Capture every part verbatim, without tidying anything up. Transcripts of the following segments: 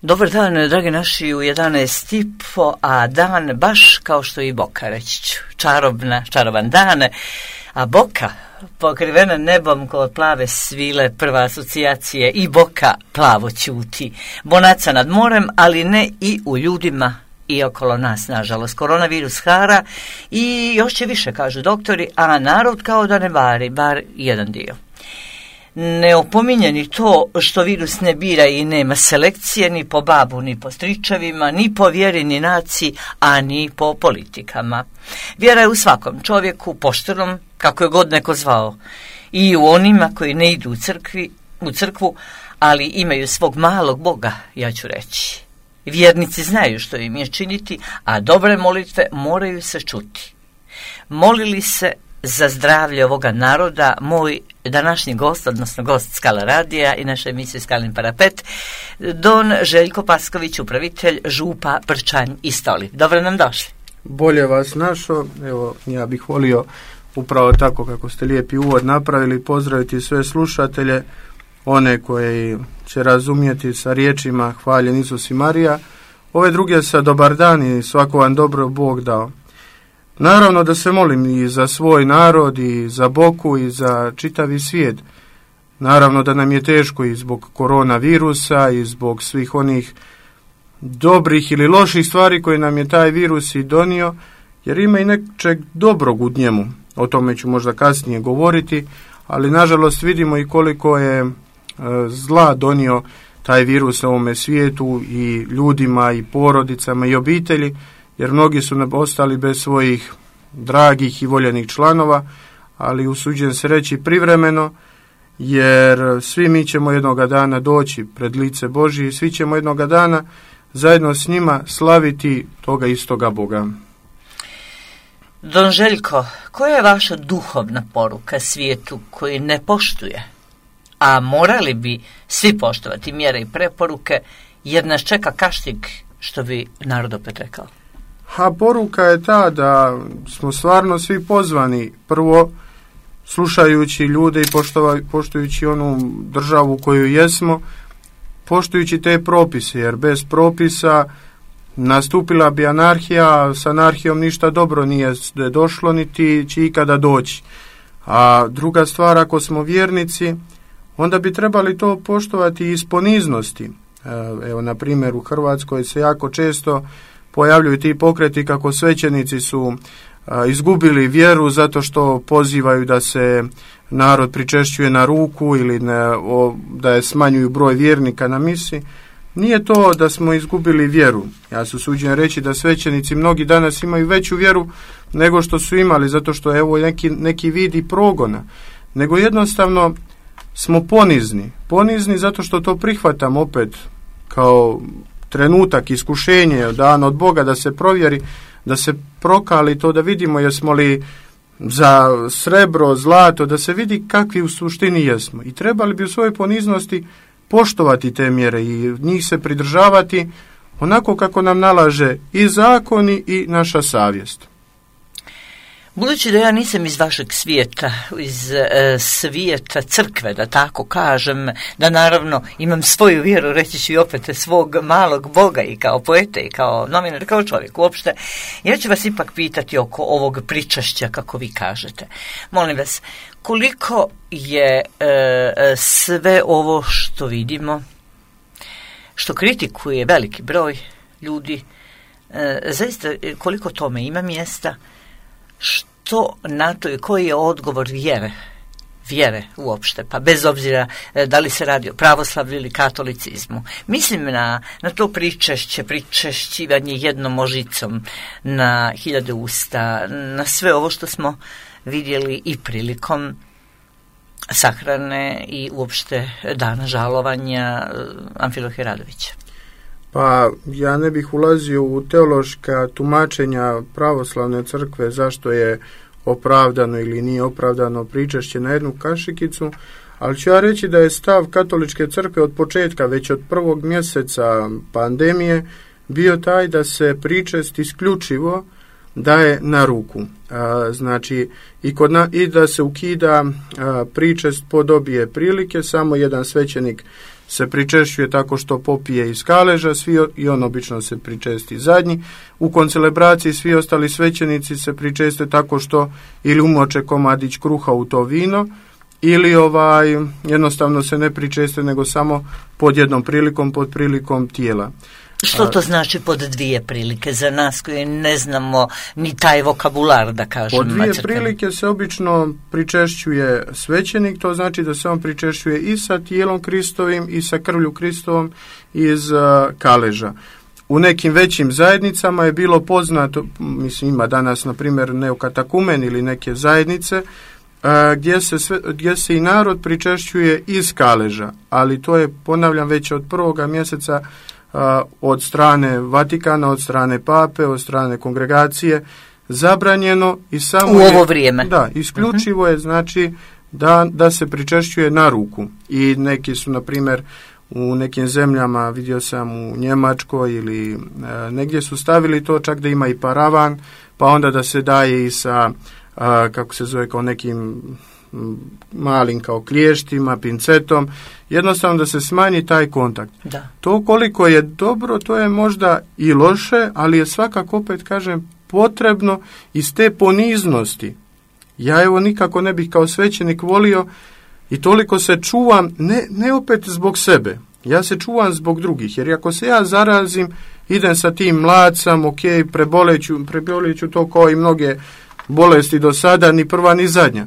Dobar dan, dragi naši, u jedanaest i po, a dan baš kao što i Boka, reći ću. Čarobna, čaroban dan, a Boka pokrivena nebom kod plave svile, prva asocijacije i Boka plavo ćuti. Bonaca nad morem, ali ne i u ljudima i okolo nas, nažalost. Koronavirus hara i još će više, kažu doktori, a narod kao da ne vari, bar jedan dio. Ne opominje ni to što virus ne bira i nema selekcije ni po babu, ni po stričevima, ni po vjeri, ni naciji, a ni po politikama. Vjera je u svakom čovjeku, poštenom, kako je god neko zvao, i u onima koji ne idu u, crkvi, u crkvu, ali imaju svog malog Boga, ja ću reći. Vjernici znaju što im je činiti, a dobre molitve moraju se čuti. Molili se za zdravlje ovoga naroda moj današnji gost, odnosno gost Skala radija i naše emisije Skalin parapet, don Željko Pasković, upravitelj župa Prčanj i Stoli. Dobro nam došli. Bolje vas našo, evo ja bih volio upravo tako kako ste lijepi uvod napravili, pozdraviti sve slušatelje, one koji će razumjeti sa riječima hvaljen Isus i Marija, ove druge sa dobar dan i svako vam dobro Bog dao. Naravno da se molim i za svoj narod i za Boku i za čitavi svijet. Naravno da nam je teško i zbog koronavirusa i zbog svih onih dobrih ili loših stvari koje nam je taj virus i donio, jer ima i nečeg dobrog u njemu. O tome ću možda kasnije govoriti, ali nažalost vidimo i koliko je e, zla donio taj virus na ovome svijetu i ljudima i porodicama i obitelji, jer mnogi su ostali bez svojih dragih i voljenih članova, ali usuđujem se reći privremeno, jer svi mi ćemo jednoga dana doći pred lice Božje i svi ćemo jednoga dana zajedno s njima slaviti toga istoga Boga. Don Željko, koja je vaša duhovna poruka svijetu koji ne poštuje, a morali bi svi poštovati mjere i preporuke, jer nas čeka kaštig, što bi narod opet rekao? A poruka je ta da smo stvarno svi pozvani, prvo slušajući ljude i poštova, poštujući onu državu koju jesmo, poštujući te propise, jer bez propisa nastupila bi anarhija, s anarhijom ništa dobro nije došlo, niti će ikada doći. A druga stvar, ako smo vjernici, onda bi trebali to poštovati iz poniznosti. Evo, na primjer, u Hrvatskoj se jako često pojavljuju ti pokreti kako svećenici su a, izgubili vjeru zato što pozivaju da se narod pričešćuje na ruku ili ne, o, da je smanjuju broj vjernika na misi. Nije to da smo izgubili vjeru. Ja se usuđujem reći da svećenici mnogi danas imaju veću vjeru nego što su imali, zato što je evo neki, neki vidi progona. Nego jednostavno smo ponizni. Ponizni zato što to prihvatamo opet kao trenutak, iskušenje, dan od Boga da se provjeri, da se prokali to, da vidimo jesmo li za srebro, zlato, da se vidi kakvi u suštini jesmo. I trebali bi u svojoj poniznosti poštovati te mjere i njih se pridržavati onako kako nam nalaže i zakoni i naša savjest. Budući da ja nisam iz vašeg svijeta, iz e, svijeta crkve, da tako kažem, da naravno imam svoju vjeru, reći ću i opet svog malog Boga i kao poeta i kao novinar, kao čovjek uopšte, ja ću vas ipak pitati oko ovog pričašća, kako vi kažete. Molim vas, koliko je e, sve ovo što vidimo, što kritikuje veliki broj ljudi, e, zaista koliko tome ima mjesta, što na to i koji je odgovor vjere, vjere uopšte, pa bez obzira da li se radi o pravoslavlju ili katolicizmu. Mislim na, na to pričešće, pričešćivanje jednom možicom na hiljade usta, na sve ovo što smo vidjeli i prilikom sahrane i uopšte dana žalovanja Amfilohija Radovića. Pa ja ne bih ulazio u teološka tumačenja pravoslavne crkve zašto je opravdano ili nije opravdano pričešće na jednu kašikicu, ali ću ja reći da je stav katoličke crkve od početka, već od prvog mjeseca pandemije, bio taj da se pričest isključivo daje na ruku. A, znači i, kod na, i da se ukida a, pričest po dobije prilike, samo jedan svećenik se pričešćuje tako što popije iz kaleža, svi, i on obično se pričesti zadnji. U koncelebraciji svi ostali svećenici se pričeste tako što ili umoče komadić kruha u to vino, ili ovaj jednostavno se ne pričeste, nego samo pod jednom prilikom, pod prilikom tijela. Što to znači pod dvije prilike za nas koji ne znamo ni taj vokabular, da kažem? Pod dvije macrkani. Prilike se obično pričešćuje svećenik, to znači da se on pričešćuje i sa tijelom Kristovim i sa krvlju Kristovom iz uh, kaleža. U nekim većim zajednicama je bilo poznato, mislim ima danas na primjer neokatakumen ili neke zajednice, uh, gdje, se sve, gdje se i narod pričešćuje iz kaleža, ali to je, ponavljam, već od prvoga mjeseca Uh, od strane Vatikana, od strane Pape, od strane kongregacije zabranjeno i samo u ovo je, vrijeme. Da, isključivo uh-huh. je znači da, da se pričešćuje na ruku. I neki su, na primjer, u nekim zemljama, vidio sam u Njemačkoj ili uh, negdje su stavili to čak da ima i paravan, pa onda da se daje i sa, uh, kako se zove, kao nekim malim kao kliještima, pincetom, jednostavno da se smanji taj kontakt. Da. To koliko je dobro, to je možda i loše, ali je svakako, opet kažem, potrebno iz te poniznosti. Ja evo nikako ne bih kao svećenik volio i toliko se čuvam, ne, ne opet zbog sebe, ja se čuvam zbog drugih, jer ako se ja zarazim, idem sa tim mlacam, ok, preboleću, preboleću to kao i mnoge bolesti do sada, ni prva ni zadnja.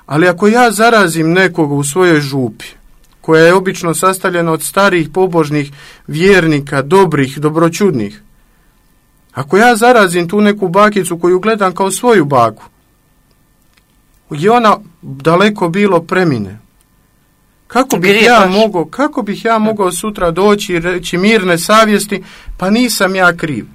Ali ako ja zarazim nekoga u svojoj župi, koja je obično sastavljena od starih pobožnih vjernika, dobrih, dobroćudnih, ako ja zarazim tu neku bakicu koju gledam kao svoju baku, i ona daleko bilo premine, kako bih ja mogao, kako bih ja mogao sutra doći i reći mirne savjesti, pa nisam ja kriv.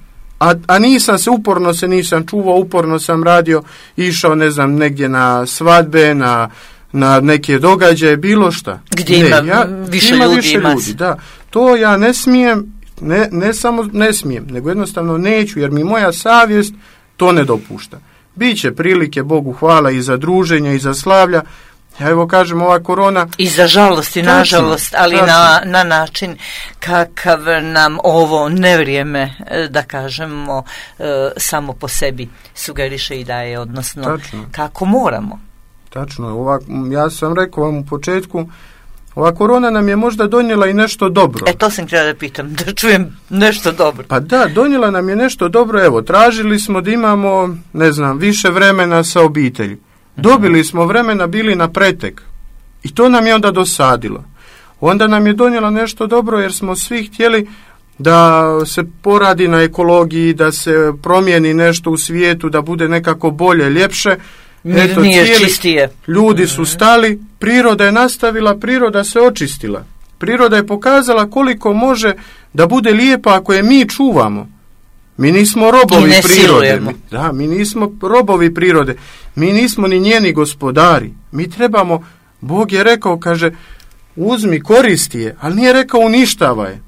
A, a nisam se, uporno se nisam čuvao, uporno sam radio, išao, ne znam, negdje na svadbe, na, na neke događaje, bilo šta. Gdje ne, ima ja, više ima ljudi, više ljudi, da. To ja ne smijem, ne, ne samo ne smijem, nego jednostavno neću, jer mi moja savjest to ne dopušta. Biće prilike, Bogu hvala, i za druženje, i za slavlja. Ja evo kažem, ova korona... I za žalost i nažalost, ali na, na način kakav nam ovo nevrijeme, da kažemo, samo po sebi sugeriše i daje, odnosno Tačno. Kako moramo. Tačno, ova, ja sam rekao vam u početku, ova korona nam je možda donijela i nešto dobro. E, to sam htjela da pitam, da čujem nešto dobro. Pa da, donijela nam je nešto dobro, evo, tražili smo da imamo, ne znam, više vremena sa obitelji. Dobili smo vremena, bili na pretek. I to nam je onda dosadilo. Onda nam je donijela nešto dobro, jer smo svi htjeli da se poradi na ekologiji, da se promijeni nešto u svijetu, da bude nekako bolje, ljepše. Eto, nije cijeli, čistije. Ljudi su stali, priroda je nastavila, priroda se očistila. Priroda je pokazala koliko može da bude lijepa ako je mi čuvamo. Mi nismo robovi prirode. Mi, da, mi nismo robovi prirode. Mi nismo ni njeni gospodari. Mi trebamo, Bog je rekao, kaže, uzmi, koristi je, ali nije rekao uništavaj.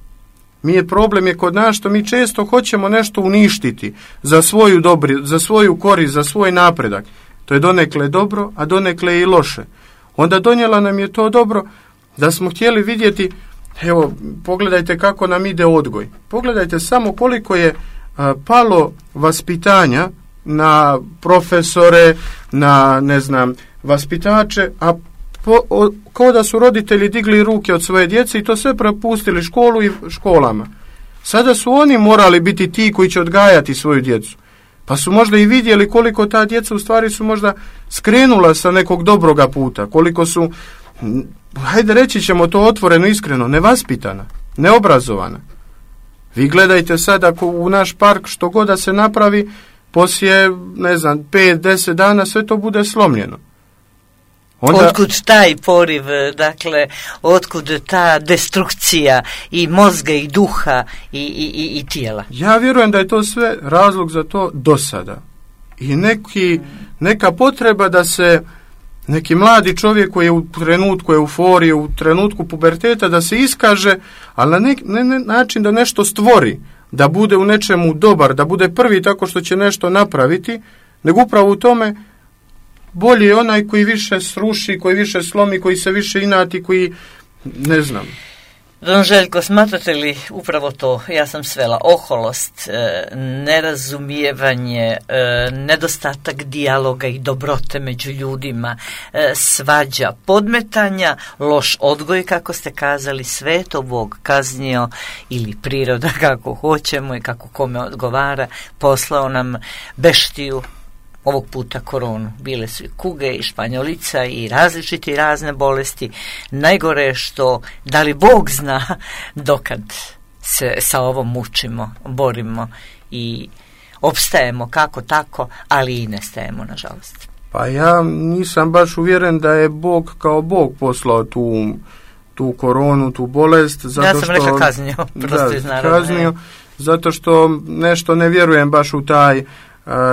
Mi je problem je kod nas što mi često hoćemo nešto uništiti za svoju dobri, za svoju korist, za svoj napredak. To je donekle dobro, a donekle i loše. Onda donijela nam je to dobro da smo htjeli vidjeti, evo, pogledajte kako nam ide odgoj. Pogledajte samo koliko je a, palo vaspitanja na profesore, na, ne znam, vaspitače, a po, o, kao da su roditelji digli ruke od svoje djece i to sve prepustili školu i školama. Sada su oni morali biti ti koji će odgajati svoju djecu. Pa su možda i vidjeli koliko ta djeca u stvari su možda skrenula sa nekog dobroga puta, koliko su, hajde reći ćemo to otvoreno, iskreno, nevaspitana, neobrazovana. Vi gledajte sad ako u naš park što god da se napravi, poslije, ne znam, pet, deset dana sve to bude slomljeno. Onda, otkud taj poriv, dakle, otkud ta destrukcija i mozga i duha i, i, i tijela? Ja vjerujem da je to sve razlog za to dosada. I neki, neka potreba da se neki mladi čovjek koji je u trenutku euforije, u trenutku puberteta, da se iskaže, ali na nek, ne, ne, način da nešto stvori, da bude u nečemu dobar, da bude prvi tako što će nešto napraviti, nego upravo u tome bolji je onaj koji više sruši, koji više slomi, koji se više inati, koji, ne znam. Don Željko, smatrate li upravo to, ja sam svela, oholost, nerazumijevanje, nedostatak dijaloga i dobrote među ljudima, svađa, podmetanja, loš odgoj, kako ste kazali, sve to Bog kaznio ili priroda, kako hoćemo i kako kome odgovara, poslao nam beštiju, ovog puta koronu. Bile su i kuge i španjolica i različite i razne bolesti. Najgore je što, da li Bog zna dokad se sa ovom mučimo, borimo i opstajemo kako tako, ali i nestajemo, nažalost. Pa ja nisam baš uvjeren da je Bog kao Bog poslao tu, tu koronu, tu bolest. Zato ja sam što, rekla kaznio. Prosto iz naravno, kaznio, zato što nešto ne vjerujem baš u taj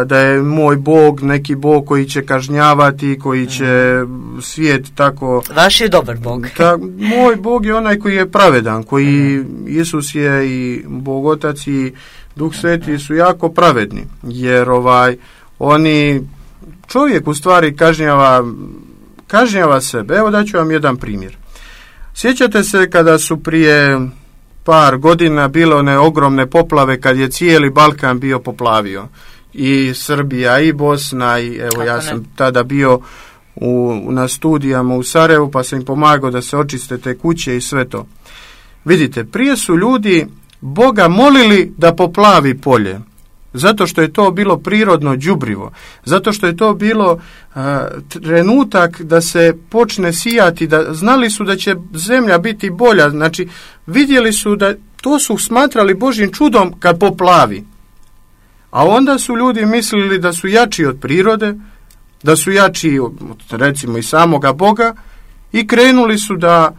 da je moj Bog neki Bog koji će kažnjavati, koji će svijet tako... Vaš je dobar Bog. Ta, moj Bog je onaj koji je pravedan, koji Isus je i Bog Otac i Duh Sveti su jako pravedni, jer ovaj oni čovjek u stvari kažnjava kažnjava sebe. Evo daću vam jedan primjer. Sjećate se kada su prije par godina bile one ogromne poplave kad je cijeli Balkan bio poplavio? I Srbija i Bosna i evo ja sam tada bio u, na studijama u Sarajevu pa sam im pomagao da se očiste te kuće i sve to. Vidite, prije su ljudi Boga molili da poplavi polje, zato što je to bilo prirodno đubrivo, zato što je to bilo a, trenutak da se počne sijati, da znali su da će zemlja biti bolja, znači vidjeli su da to su smatrali Božjim čudom kad poplavi. A onda su ljudi mislili da su jači od prirode, da su jači od, recimo, i samoga Boga i krenuli su da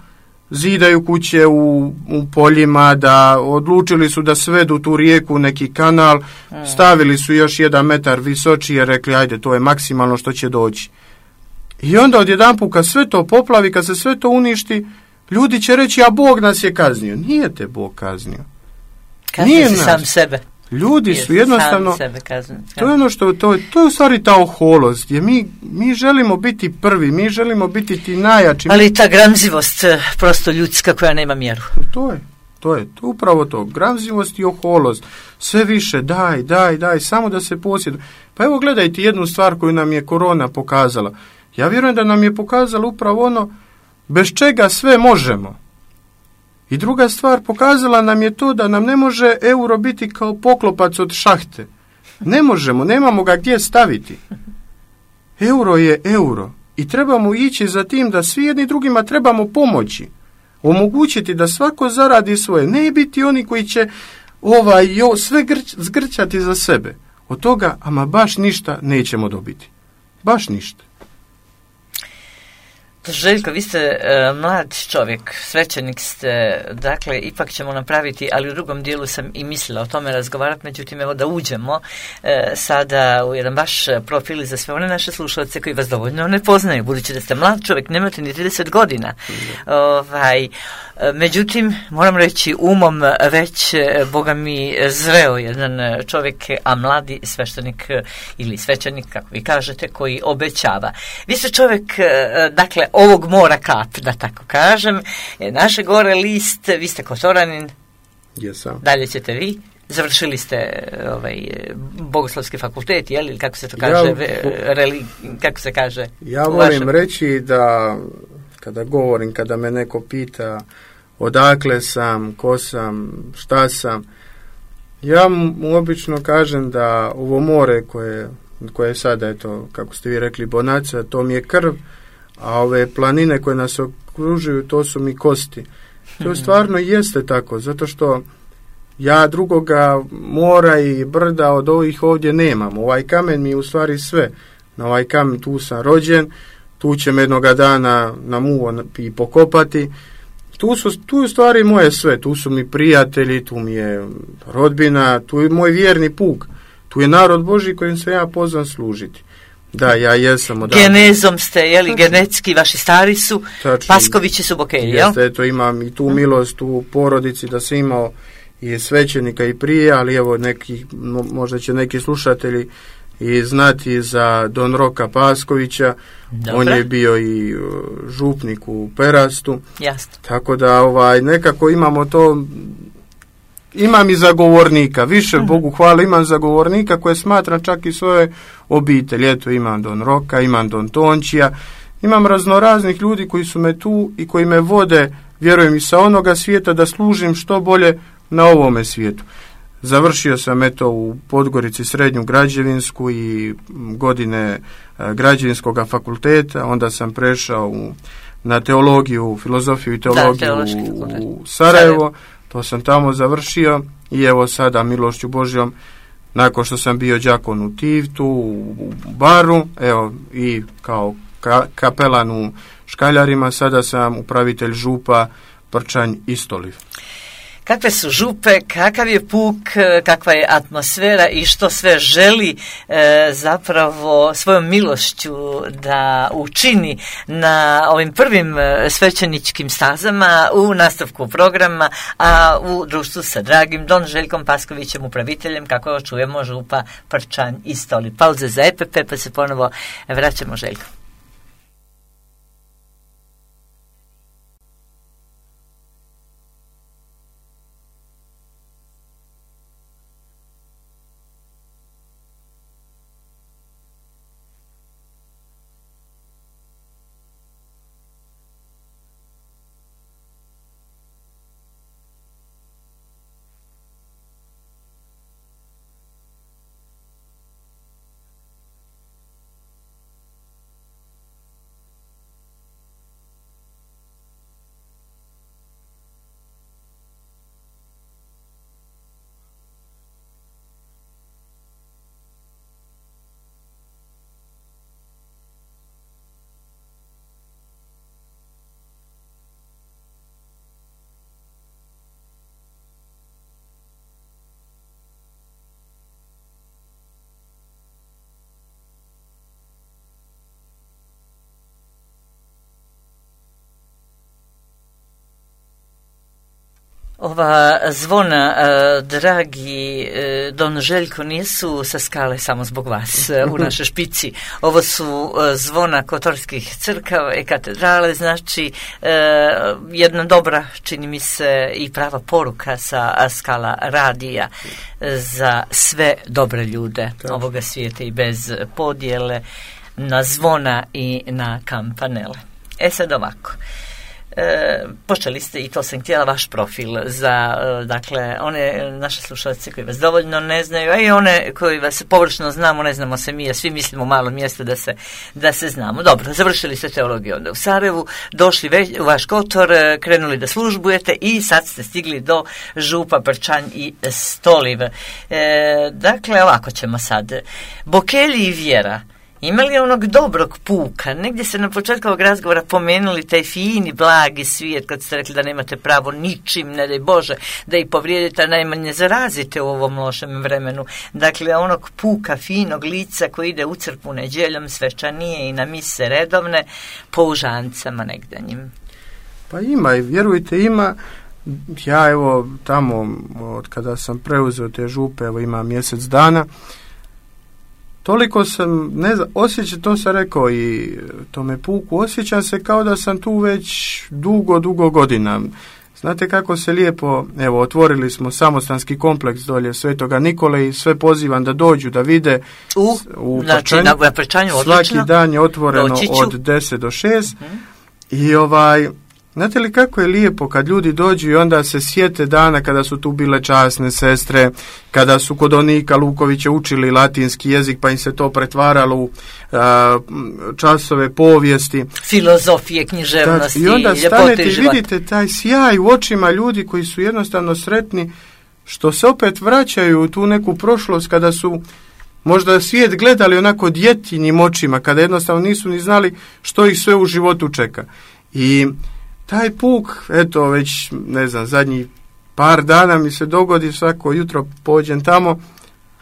zidaju kuće u, u poljima, da odlučili su da svedu tu rijeku u neki kanal, stavili su još jedan metar visočije, rekli ajde to je maksimalno što će doći. I onda odjedanput kad sve to poplavi, kad se sve to uništi, ljudi će reći a Bog nas je kaznio. Nije te Bog kaznio. Kaznio si sam sebe. Ljudi su jednostavno, sebe kazniti, to je ono što, to, to je u stvari ta oholost, gdje mi, mi želimo biti prvi, mi želimo biti ti najjači. Ali ta gramzivost, prosto ljudska koja nema mjeru. To je, to je, to upravo to, gramzivost i oholost, sve više daj, daj, daj, samo da se posjeduje. Pa evo gledajte jednu stvar koju nam je korona pokazala. Ja vjerujem da nam je pokazala upravo ono bez čega sve možemo. I druga stvar, pokazala nam je to da nam ne može euro biti kao poklopac od šahte. Ne možemo, nemamo ga gdje staviti. Euro je euro i trebamo ići za tim da svi jedni drugima trebamo pomoći. Omogućiti da svako zaradi svoje. Ne biti oni koji će ovaj, jo, sve grč, zgrčati za sebe. Od toga, ama baš ništa nećemo dobiti. Baš ništa. Željko, vi ste e, mlad čovjek, svećenik ste, dakle, ipak ćemo napraviti, ali u drugom dijelu sam i mislila o tome razgovarati, međutim, evo da uđemo e, sada u jedan baš profil za sve one naše slušalce koji vas dovoljno ne poznaju, budući da ste mlad čovjek, nemate ni trideset godina. Ovaj, međutim, moram reći, umom već, Boga mi, zreo jedan čovjek, a mladi sveštenik ili svećenik, kako vi kažete, koji obećava. Vi ste čovjek, dakle, ovog mora kap, da tako kažem, naše gore list, vi ste Kotoranin, Jesam. Dalje ćete vi, završili ste ovaj, Bogoslovski fakultet, jel, ili kako se to kaže, ja, reli, kako se kaže? Ja volim vašem... reći da, kada govorim, kada me neko pita odakle sam, ko sam, šta sam, ja mu obično kažem da ovo more koje, koje je sada, eto, kako ste vi rekli, Bonaca, to mi je krv, a ove planine koje nas okružuju, to su mi kosti. To stvarno jeste tako, zato što ja drugoga mora i brda od ovih ovdje nemam. Ovaj kamen mi je u stvari sve. Na ovaj kamen tu sam rođen, tu će me jednoga dana na muvo i pokopati. Tu su, tu je u stvari moje sve. Tu su mi prijatelji, tu mi je rodbina, tu je moj vjerni puk. Tu je narod Božji kojim se ja pozvan služiti. Da, ja jesam odavno. Genezom ste, jeli, genetski, vaši stari su, tačno, Paskovići su Bokelji, jel? Jeste, eto, imam i tu milost u porodici da sam imao i svećenika i prije, ali evo neki, možda će neki slušatelji i znati za Don Roka Paskovića. Dobre. On je bio i župnik u Perastu. Jasno. Tako da ovaj nekako imamo to, imam i zagovornika, više uh-huh. Bogu hvala, imam zagovornika koje smatram čak i svoje obitelji. Eto, imam Don Roka, imam Don Tončija, imam raznoraznih ljudi koji su me tu i koji me vode, vjerujem, i sa onoga svijeta da služim što bolje na ovome svijetu. Završio sam eto u Podgorici srednju građevinsku i godine građevinskog fakulteta, onda sam prešao u, na teologiju, filozofiju i teologiju da, u, u Sarajevo, to sam tamo završio i evo sada milošću Božjom, nakon što sam bio đakon u Tivtu, u, u Baru, evo i kao ka, kapelan u Škaljarima, sada sam upravitelj župa Prčanj i Stoliv. Kakve su župe, kakav je puk, kakva je atmosfera i što sve želi e, zapravo svojom milošću da učini na ovim prvim svećeničkim stazama u nastavku programa, a u društvu sa dragim Don Željkom Paskovićem, upraviteljem, kako čujemo, župa Prčanj i Stoliv. Pauze za E P P, pa se ponovo vraćamo, Željko. Ova zvona, eh, dragi eh, Don Željko, nisu sa skale samo zbog vas eh, u našoj špici. Ovo su eh, zvona kotorskih crkava i katedrale, znači eh, jedna dobra, čini mi se, i prava poruka sa skala radija eh, za sve dobre ljude Tačno. ovoga svijeta i bez podjele na zvona i na kampanele. E sad ovako. E, počeli ste, i to sam htjela, vaš profil za, e, dakle, one naše slušalce koji vas dovoljno ne znaju, a i one koji vas površno znamo, ne znamo se mi, a svi mislimo u malo mjesto da se, da se znamo. Dobro, završili ste teologiju onda u Sarajevu, došli već u vaš Kotor, krenuli da službujete i sad ste stigli do župa Prčanj i Stoliv. E, dakle, ovako ćemo sad. Bokelji i vjera. Ima li onog dobrog puka? Negdje se na početku ovog razgovora pomenuli taj fini, blagi svijet, kad ste rekli da nemate pravo ničim, ne daj Bože, da ih povrijedite, a najmanje zarazite u ovom lošem vremenu. Dakle, onog puka, finog lica koji ide u crkvu nedjeljom, svečanije i na mise redovne, po užancama negdanjim. Pa ima, i vjerujte, ima. Ja evo tamo, od kada sam preuzeo te župe, evo ima mjesec dana, toliko sam, ne znam, osjećam, to sam rekao i tome puku, osjećam se kao da sam tu već dugo, dugo godina. Znate kako se lijepo, evo, otvorili smo samostanski kompleks dolje Svetoga Nikole i sve pozivam da dođu, da vide u, u znači, Prčanju. Na Prčanju, svaki dan je otvoreno od deset do šest mm-hmm. i ovaj... Znate li kako je lijepo kad ljudi dođu i onda se sjete dana kada su tu bile časne sestre, kada su kod Onika Lukovića učili latinski jezik pa im se to pretvaralo u a, časove povijesti. Filozofije, književnosti, i onda stanete i vidite taj sjaj u očima ljudi koji su jednostavno sretni što se opet vraćaju u tu neku prošlost kada su možda svijet gledali onako djetinjim očima, kada jednostavno nisu ni znali što ih sve u životu čeka. I taj puk, eto već, ne znam, zadnjih par dana mi se dogodi, svako jutro pođem tamo,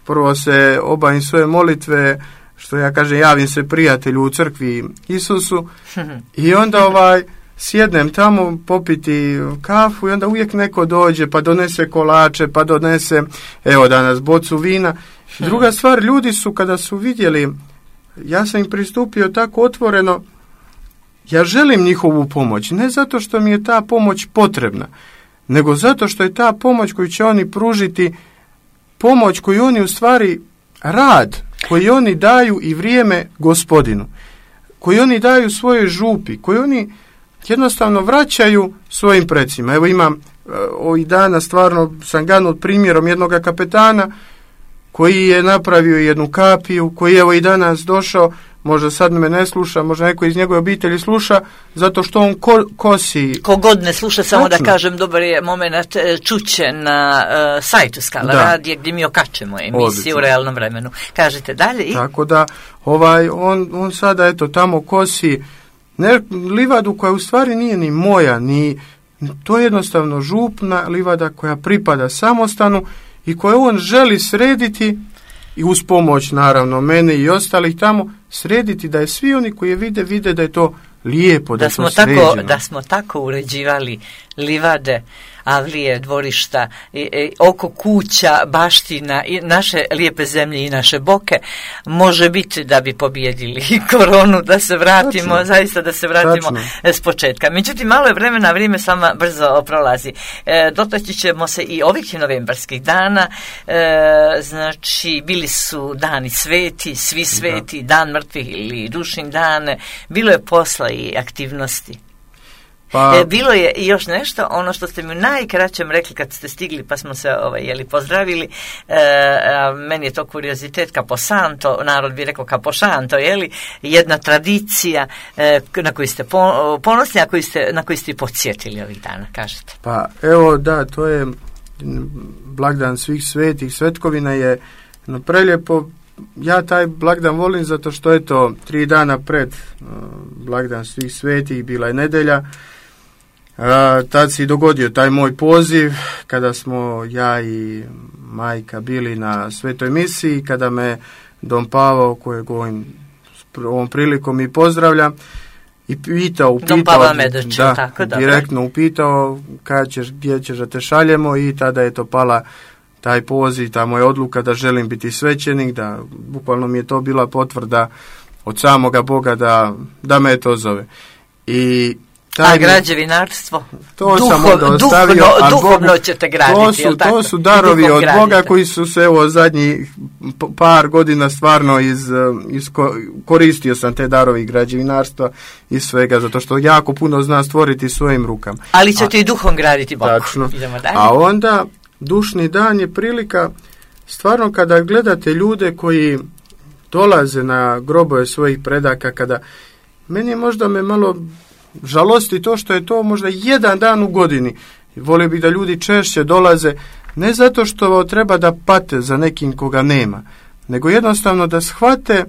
prvo se obavim svoje molitve, što ja kažem, javim se prijatelju u crkvi Isusu i onda ovaj, sjednem tamo popiti kafu i onda uvijek neko dođe pa donese kolače, pa donese, evo danas, bocu vina. Druga stvar, ljudi su kada su vidjeli, ja sam im pristupio tako otvoreno, ja želim njihovu pomoć, ne zato što mi je ta pomoć potrebna, nego zato što je ta pomoć koju će oni pružiti, pomoć koju oni u stvari rad, koji oni daju i vrijeme Gospodinu, koji oni daju svojoj župi, koji oni jednostavno vraćaju svojim precima. Evo imam ovih dana, stvarno sam ganut primjerom jednog kapetana koji je napravio jednu kapiju, koji evo i danas došao, možda sad me ne sluša, možda neko iz njegove obitelji sluša, zato što on ko, kosi. Kogod ne sluša, samo Tačno. Da kažem, dobar je moment, čuće na uh, sajtu Skala da. Radije gdje mi okačemo emisiju Odlično. U realnom vremenu. Kažete dalje i... Tako da, ovaj, on, on sada eto tamo kosi ne, livadu koja u stvari nije ni moja, ni, to je jednostavno župna livada koja pripada samostanu i koju on želi srediti i uz pomoć naravno mene i ostalih tamo srediti da je svi oni koji je vide, vide da je to lijepo, da, da, smo, tako, da smo tako uređivali livade, avlije, dvorišta, i, i, oko kuća, baština i naše lijepe zemlje i naše boke, može biti da bi pobijedili koronu, da se vratimo, Tačno. zaista da se vratimo Tačno. s početka. Međutim, malo je vremena, vrijeme sama brzo prolazi. E, dotaći ćemo se i ovih novembarskih dana, e, znači bili su dani sveti, svi sveti, da. Dan mrtvih ili dušin dane, bilo je posla i aktivnosti. Pa, e, bilo je i još nešto, ono što ste mi u najkraćem rekli kad ste stigli pa smo se ovaj, jeli, pozdravili, e, a, meni je to kuriozitet, Caposanto, narod bi rekao Caposanto, jeli, jedna tradicija e, na koju ste ponosni, a koju ste, na koju ste podsjetili ovih dana, kažete. Pa evo da, to je blagdan svih svetih, svetkovina je no, prelijepo. Ja taj blagdan volim zato što je to tri dana pred uh, blagdan svih svetih, bila je nedjelja. Uh, tad se i dogodio taj moj poziv kada smo ja i majka bili na svetoj misiji, kada me Don Pavao, kojeg ovim, ovom prilikom i pozdravlja, i pitao, upitao, Don Pavao Medoć, da, tako, direktno upitao kada ćeš, gdje ćeš da te šaljemo i tada je to pala taj poziv, ta moja odluka da želim biti svećenik, da bukvalno mi je to bila potvrda od samoga Boga da, da me to zove. I taj a građevinarstvo? To Duhov, sam onda ostavio. Duhovno, duhovno Bogu, ćete graditi, to su, to su darovi od gradite. Boga koji su se evo zadnjih par godina stvarno iz, iz, koristio sam te darovi građevinarstva i svega, zato što jako puno znam stvoriti svojim rukama. Ali ćete a, i duhom graditi Bogu. Tačno. A onda dušni dan je prilika, stvarno kada gledate ljude koji dolaze na grobove svojih predaka, kada meni možda me malo žalosti to što je to možda jedan dan u godini. Volio bih da ljudi češće dolaze, ne zato što treba da pate za nekim koga nema, nego jednostavno da shvate,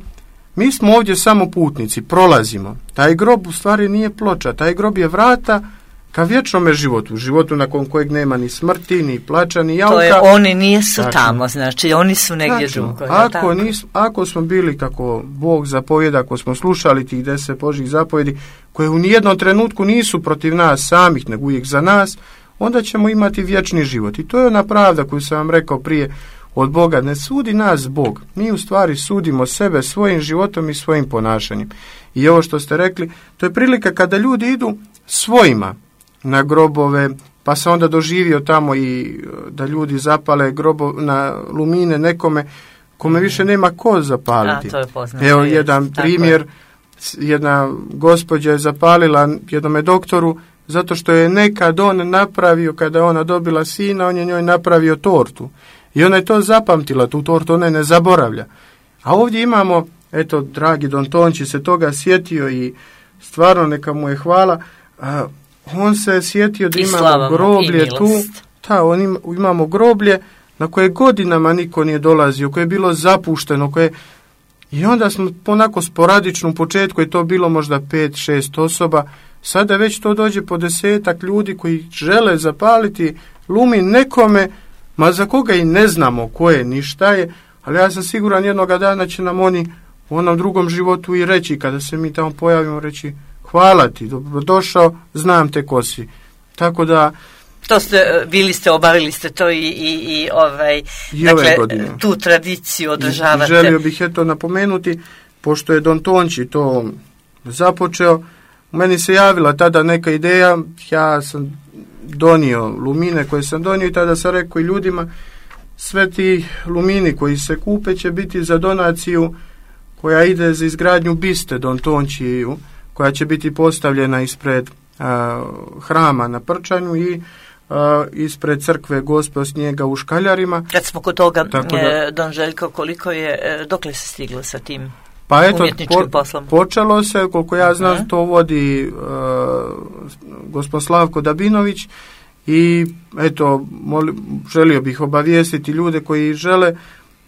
mi smo ovdje samo putnici, prolazimo. Taj grob u stvari nije ploča, taj grob je vrata ka vječnome životu, životu nakon kojeg nema ni smrti, ni plača, ni jauka. To je, oni nisu tačno. Tamo, znači oni su negdje drugo. Ako, nis, ako smo bili kako Bog zapovjeda, ako smo slušali tih deset Božjih zapovjedi, koje u nijednom trenutku nisu protiv nas samih, nego uvijek za nas, onda ćemo imati vječni život. I to je ona pravda koju sam vam rekao prije od Boga. Ne sudi nas Bog, mi u stvari sudimo sebe svojim životom i svojim ponašanjem. I ovo što ste rekli, to je prilika kada ljudi idu svojima na grobove, pa se onda doživio tamo i da ljudi zapale grobo, na lumine nekome kome više nema ko zapaliti. A, to je poznato. Evo jedan primjer, jedna gospođa je zapalila jednome doktoru zato što je nekad on napravio, kada je ona dobila sina, on je njoj napravio tortu. I ona je to zapamtila, tu tortu ona ne zaboravlja. A ovdje imamo, eto, dragi Don Tonči se toga sjetio i stvarno neka mu je hvala. A, on se sjetio da imamo groblje tu, ta, on ima, imamo groblje na koje godinama niko nije dolazio, koje je bilo zapušteno, koje... I onda smo onako sporadično u početku je to bilo možda pet, šest osoba, sada već to dođe po desetak ljudi koji žele zapaliti lumin nekome, ma za koga i ne znamo ko je ni šta je, ali ja sam siguran jednoga dana će nam oni u onom drugom životu i reći, kada se mi tamo pojavimo, reći hvala ti, dobrodošao, znam te ko si. Tako da to ste, bili ste, obavili ste to i, i, i ovaj, i dakle, godine. Tu tradiciju održavate. I želio bih eto napomenuti, pošto je Don Tonči to započeo, meni se javila tada neka ideja, ja sam donio lumine koje sam donio i tada sam rekao i ljudima, sve ti lumini koji se kupe će biti za donaciju koja ide za izgradnju biste Don Tončiju, koja će biti postavljena ispred a, hrama na Prčanju i a, ispred crkve Gospe od Snijega u Škaljarima. Kad smo kod toga, da, e, Don Željko, koliko je, dokle se stiglo sa tim pa eto, umjetničkim po, poslom? Počelo se, koliko ja znam, uh-huh. to vodi uh, gospod Slavko Dabinović i eto, moli, želio bih obavijestiti ljude koji žele,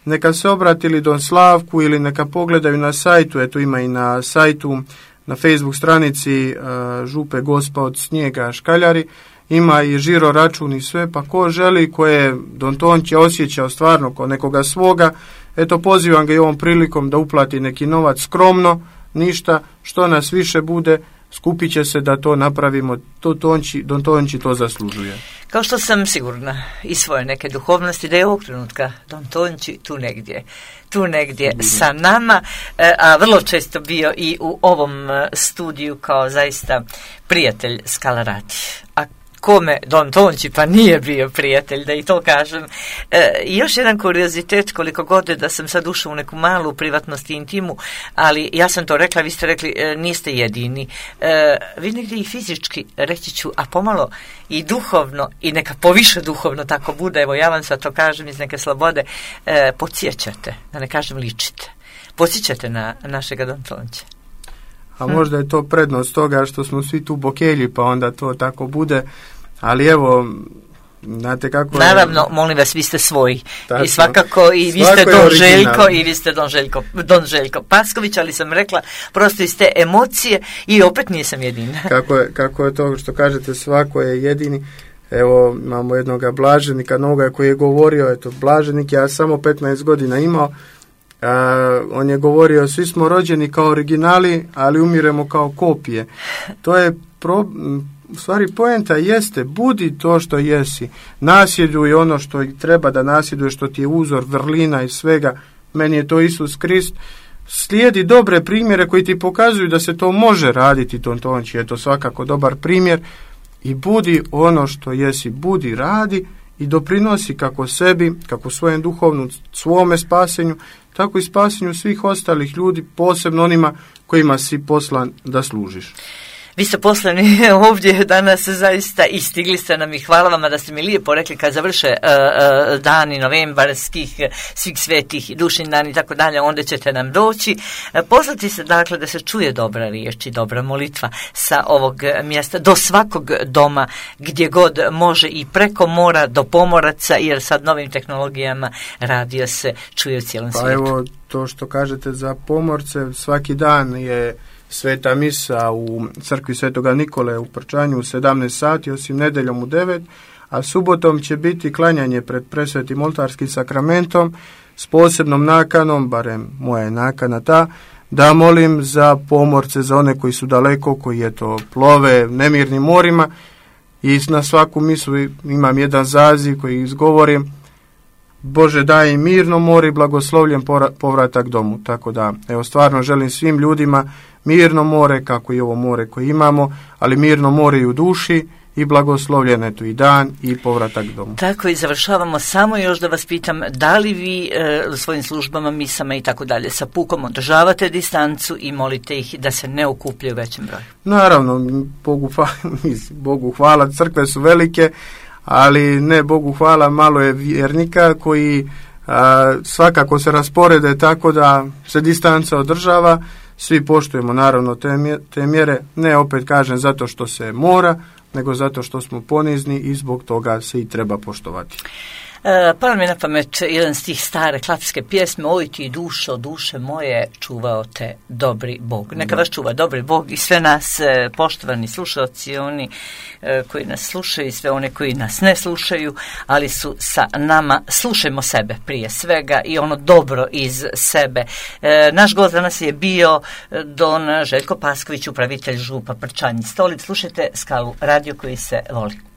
neka se obratili Don Slavku ili neka pogledaju na sajtu, eto ima i na sajtu, na Facebook stranici uh, Župe Gospa od Snijega Škaljari, ima i žiro račun i sve, pa ko želi, ko je Don Tonči osjećao stvarno kao nekoga svoga, eto pozivam ga i ovom prilikom da uplati neki novac skromno, ništa, što nas više bude, skupit će se da to napravimo, to Tonči, Don Tonči to zaslužuje. Kao što sam sigurna i svoje neke duhovnosti da je ovog trenutka Don Tonči tu negdje, tu negdje Bude. sa nama, a vrlo često bio i u ovom studiju kao zaista prijatelj Skalarati. A kome Don Tonči pa nije bio prijatelj, da i to kažem. E, još jedan kuriozitet, koliko god je da sam sad ušao u neku malu privatnost i intimu, ali ja sam to rekla, vi ste rekli e, niste jedini. E, vi negdje i fizički, reći ću, a pomalo i duhovno, i neka poviše duhovno tako bude, evo ja vam sad to kažem iz neke slobode, e, podsjećate, da ne kažem ličite, podsjećate na našega Don Tonča. A možda je to prednost toga što smo svi tu bokelji, pa onda to tako bude, ali evo, znate kako je... Naravno, molim vas, vi ste svoji. Tačno. I svakako, i vi ste Don Željko, i vi ste Don Željko, Don Željko Pasković, ali sam rekla, prosto iz te emocije i opet nisam jedina. Kako je, kako je to što kažete, svako je jedini. Evo, imamo jednoga blaženika novoga koji je govorio, eto, blaženik, ja samo petnaest godina imao, Uh, on je govorio, svi smo rođeni kao originali, ali umiremo kao kopije. To je pro, u stvari poenta jeste, budi to što jesi, nasjeduj ono što treba da nasjeduje, što ti je uzor, vrlina i svega. Meni je to Isus Krist. Slijedi dobre primjere koji ti pokazuju da se to može raditi. Don Tonči je to svakako dobar primjer i budi ono što jesi, budi, radi i doprinosi kako sebi, kako svojem duhovnom, svome spasenju, tako i spasenju svih ostalih ljudi, posebno onima kojima si poslan da služiš. Vi ste poslani ovdje danas zaista i stigli ste nam i hvala vama da ste mi lijepo rekli kad završe uh, uh, dani novembarskih, svih svetih, dušin dani i tako dalje, onda ćete nam doći. Uh, poslati se dakle da se čuje dobra riječ i dobra molitva sa ovog mjesta do svakog doma gdje god može i preko mora do pomoraca, jer sad novim tehnologijama radio se čuje u cijelom pa svijetu. Pa evo to što kažete za pomorce, svaki dan je sveta misa u crkvi Svetoga Nikole u Prčanju u sedamnaest sati, osim nedeljom u devet, a subotom će biti klanjanje pred presvetim oltarskim sakramentom s posebnom nakanom, barem moja je nakana ta, da molim za pomorce, za one koji su daleko, koji eto plove nemirnim morima, i na svaku misu imam jedan zaziv koji izgovorim: Bože daj im mirno more i blagoslovljen povratak domu. Tako da, evo, stvarno želim svim ljudima mirno more, kako i ovo more koje imamo, ali mirno more i u duši i blagoslovljen eto i dan i povratak domu. Tako i završavamo. Samo još da vas pitam, da li vi e, u svojim službama, misama i tako dalje sa pukom održavate distancu i molite ih da se ne okupljaju većem broju? Naravno, Bogu hvala, Bogu hvala, crkve su velike, ali ne, Bogu hvala, malo je vjernika koji a, svakako se rasporede tako da se distanca održava. Svi poštujemo naravno te, mje, te mjere, ne opet kažem zato što se mora, nego zato što smo ponizni i zbog toga se i treba poštovati. E, pa mi je na pamet jedan stih stare klapske pjesme: oj ti dušo, duše moje, čuvao te dobri Bog. Neka vas čuva dobri Bog i sve nas, e, poštovani slušalci, oni e, koji nas slušaju i sve one koji nas ne slušaju, ali su sa nama. Slušajmo sebe prije svega i ono dobro iz sebe. E, naš gost danas je bio don Željko Pasković, upravitelj župa Prčanj Stolic. Slušajte Skalu radio koji se voli.